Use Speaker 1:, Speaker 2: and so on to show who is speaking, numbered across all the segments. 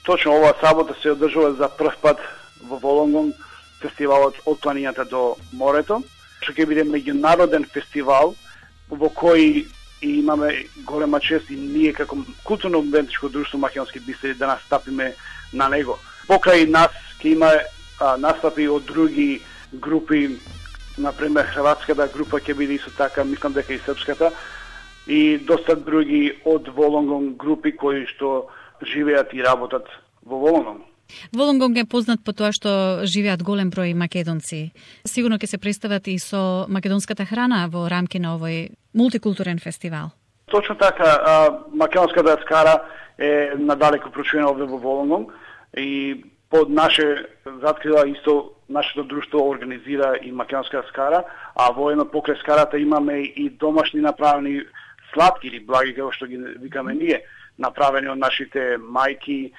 Speaker 1: Точно оваа сабота се одржува за прв пат во Волонгонг фестивалот од планината до морето, што ќе биде меѓународен фестивал во кој имаме голема чест и ние како културно-уметничко друштво Македонски бисери да настапиме на него. Покрај нас ќе има настапи од други групи, например хрватската група ќе биде исто така, мислам дека и српската, и доста други од Волонгонг групи кои што живеат и работат во Волонгонг.
Speaker 2: Волонгонг е познат по тоа што живеат голем број македонци. Сигурно ќе се представат и со македонската храна во рамки на овој мултикултурен фестивал.
Speaker 1: Точно така, македонската скара е надалеку прочувена овде во Волонгонг и под наше заткрила исто нашето друштво организира и македонска скара, а во едно покрај скарата имаме и домашни направени сладки или благи, како што ги викаме ние, направени од нашите мајки,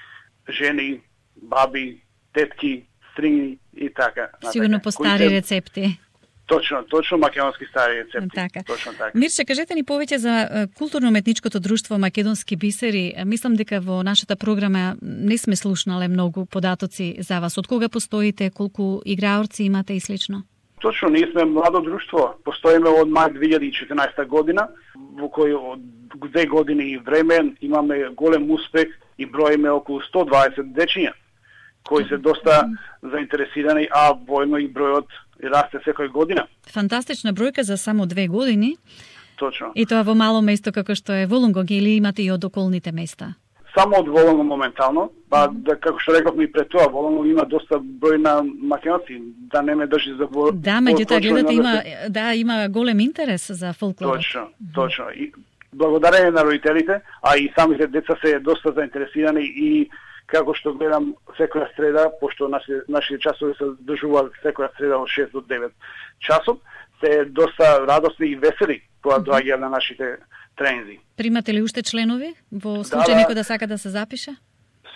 Speaker 1: жени, баби, тетки, стрини и така.
Speaker 2: Сигурно по стари рецепти.
Speaker 1: Точно македонски стари рецепти.
Speaker 2: Така.
Speaker 1: Точно така.
Speaker 2: Мирче, кажете ни повеќе за културно-уметничкото друштво Македонски бисери. Мислам дека во нашата програма не сме слушнале многу податоци за вас. Од кога постоите, колку играорци имате и слично?
Speaker 1: Точно, ние сме младо друштво. Постоиме од мај 2014 година, во кој од 2 години и време имаме голем успех и броиме околу 120 дечиња, кои се доста заинтересирани, а воедно и бројот расте секој година.
Speaker 2: Фантастична бројка за само 2 години.
Speaker 1: Точно.
Speaker 2: И тоа во мало место како што е Волонгонг, или имате и од околните места?
Speaker 1: Само од Волонгонг моментално, како што рековме и пред тоа, Волонгонг има доста број на македонци, да не ме држи за
Speaker 2: Да, меѓутоа гледате има голем интерес за фолклорот.
Speaker 1: Точно. И благодарение на родителите, а и самите деца се доста заинтересирани и како што гледам секоја среда, пошто нашите часови се држуваат секоја среда од 6 до 9 часов, се доста радосни и весели кога доаѓаат на нашите тренинзи.
Speaker 2: Примате ли уште членови во случај некој да сака да се запише?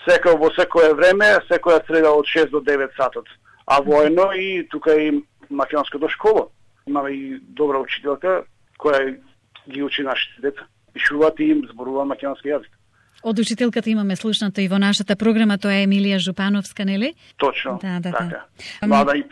Speaker 1: Во секое време, секоја среда од 6 до 9 сатот. А воено и тука и македонското школа. Имаме и добра учителка која ги учи нашите деца. Пишуваат и им зборуваат македонски јазик.
Speaker 2: Од учителката имаме слушнато и во нашата програма, тоа е Емилија Жупановска, нели?
Speaker 1: Точно,
Speaker 2: да.
Speaker 1: така. Млада и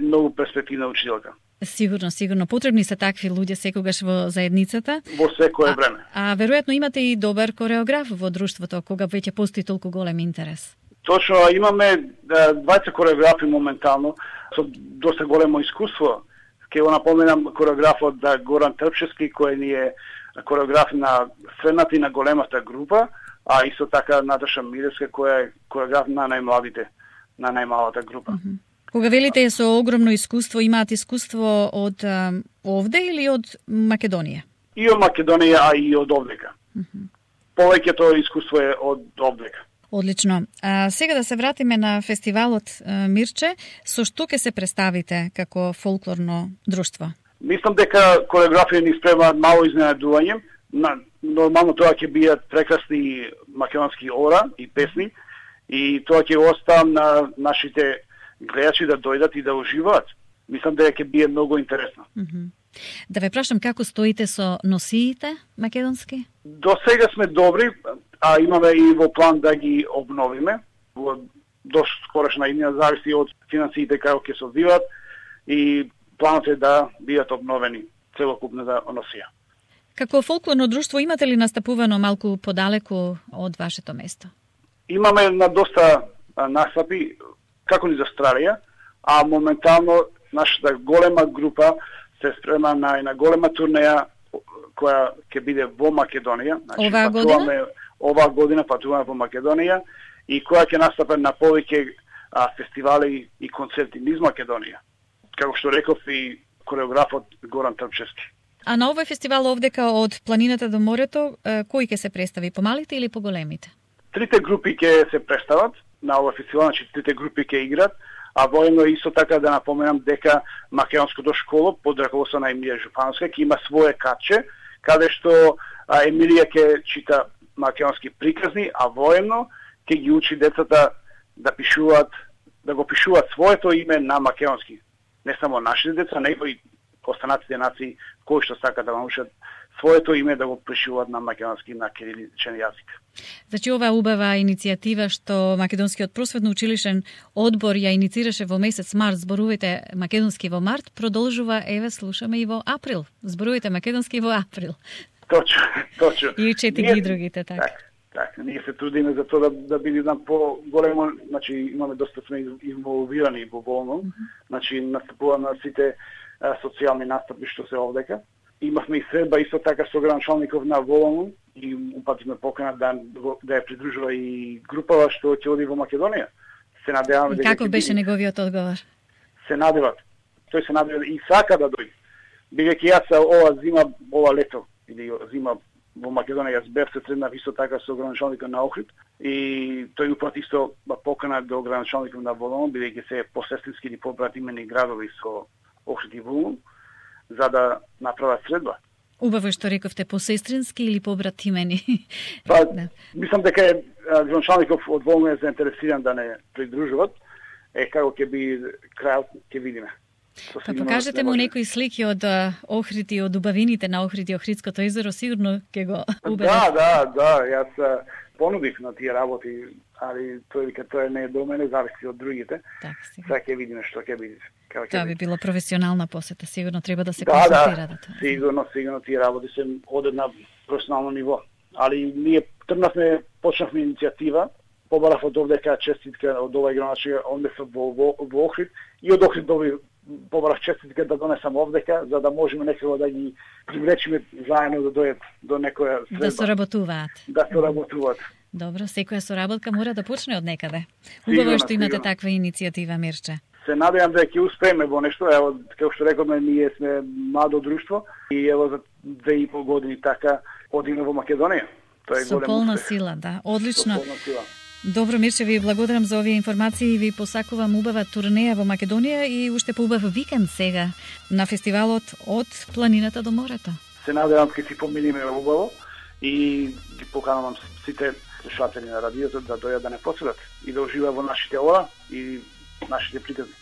Speaker 1: многу перспективна учителка.
Speaker 2: Сигурно. Потребни се такви луѓе секогаш во заедницата.
Speaker 1: Во секое време.
Speaker 2: А веројатно имате и добар кореограф во друштвото, кога веќе постои толку голем интерес.
Speaker 1: Точно, имаме 20 кореографи моментално, со доста големо искуство. Ке го напоменам кореографот Горан Трпчевски, кој ни е кореограф на средната и на големата група, а исто така Наташа Миревска, која е кореограф на најмладите, на најмалата група.
Speaker 2: Кога велите со огромно искуство, имаат искуство од овде или од Македонија?
Speaker 1: И од Македонија, а и од овдека. Повеќето искуство е од овдека.
Speaker 2: Одлично. Сега да се вратиме на фестивалот, Мирче, со што ќе се представите како фолклорно друштво?
Speaker 1: Мислам дека кореографија ни спрема мало изненадување. Нормално тоа ќе бидат прекрасни македонски ора и песни и тоа ќе оставам на нашите гледачи да дојдат и да уживаат. Мислам дека ќе биде многу интересно.
Speaker 2: Да ве прашам како стоите со носиите македонски?
Speaker 1: До сега сме добри, а имаме и во план да ги обновиме. Во доста скорошна иднина зависи од финансиите како ќе се одвиваат и планот е да бидат обновени целокупната носија.
Speaker 2: Како фолклорно друштво имате ли настапувано малку подалеку од вашето место?
Speaker 1: Имаме на доста настапи, како ни за Австралија, а моментално нашата голема група се спрема на една голема турнеја која ќе биде во Македонија. Оваа година патуваме во Македонија и која ќе настапе на повеќе фестивали и концерти низ Македонија. Како што реков и кореографот Горан Трпчевски.
Speaker 2: А на овој фестивал овдека од планината до морето, кој ќе се представи, помалите или поголемите?
Speaker 1: Трите групи ќе се представат на овој фестивал, значи трите групи ќе играт, а воено исто така да напоменам дека македонското школо под раководство на Емилија Жупановска ќе има свое катче, каде што Емилија ќе чита македонски приказни, а воено ќе ги учи децата да пишуваат, да го пишуваат своето име на македонски. Не само нашите деца, него и останатите нации кои што сакаат да научат своето име да го пишуваат на македонски, на кириличен јазик.
Speaker 2: Значи, ова убава иницијатива што Македонскиот просветно-училишен одбор ја иницираше во месец март, зборувате македонски во март, продолжува, еве, слушаме и во април. Зборувате македонски во април.
Speaker 1: Точно.
Speaker 2: И учете ги другите, така.
Speaker 1: Так, ние се трудиме за тоа да биде по-големо, значи имаме доста сме инволвирани во Волно, значи настапува на сите социјални настапи што се овдека. Имавме и средба исто така со градоначалников на Волно и упативме покана да ја придружува и групава што ќе оди во Македонија. Се надеваме дека
Speaker 2: како беше неговиот одговор?
Speaker 1: Се надеват. Тој се надева и сака да дојде. Бидејќи јас ова зима, ова лето или зима во Македонија јас бев се среднав исто така со градоначалникот на Охрид и тој упати исто покана до градоначалникот на Волно, бидејќи се посестрински или побратимени градови со Охрид и Волно, за да направат средба.
Speaker 2: Убаво што рековте, посестрински или побратимени?
Speaker 1: Да. Мислам дека градоначалникот од Волно е заинтересиран да не придружуваат, како ќе би крајот ќе видиме.
Speaker 2: Па покажете му некои слики од Охрид и од убавините на Охрид и Охридското езеро, сигурно ќе го убедат.
Speaker 1: Да, јас понудив на тие работи, али тоа не е до мене, зависи од другите. Сега ќе видиме што ќе биде.
Speaker 2: Тоа би било професионална посета, сигурно треба да се консултира.
Speaker 1: Да, сигурно тие работи се одат на професионално ниво. Али ние тргнавме, почнавме иницијатива, побарав од овдека честитка од овај градоначалник, однесов во Охрид и од Охрид побарав честитка да донесам овдека, за да можеме некако да ги привлечиме заедно да дојдат до некоја средба.
Speaker 2: Да соработуваат.
Speaker 1: Да соработуваат.
Speaker 2: Добро, секоја соработка мора да почне од некаде. Убаво што имате таква иницијатива, Мирче.
Speaker 1: Се надевам да ќе успееме во нешто. Ево, како што рековме, ние сме младо друштво и ево за 2,5 години така одиме во Македонија. Тоа е
Speaker 2: со полна сила, да. Одлично. Добро, Мирче, ви благодарам за овие информации и ви посакувам убава турнеја во Македонија и уште поубав викенд сега на фестивалот од планината до морето.
Speaker 1: Се надевам ќе си поминиме убаво и ги поканувам сите слушатели на радиото да дојдат да не посетат и да уживаат во нашите ора и нашите приказни.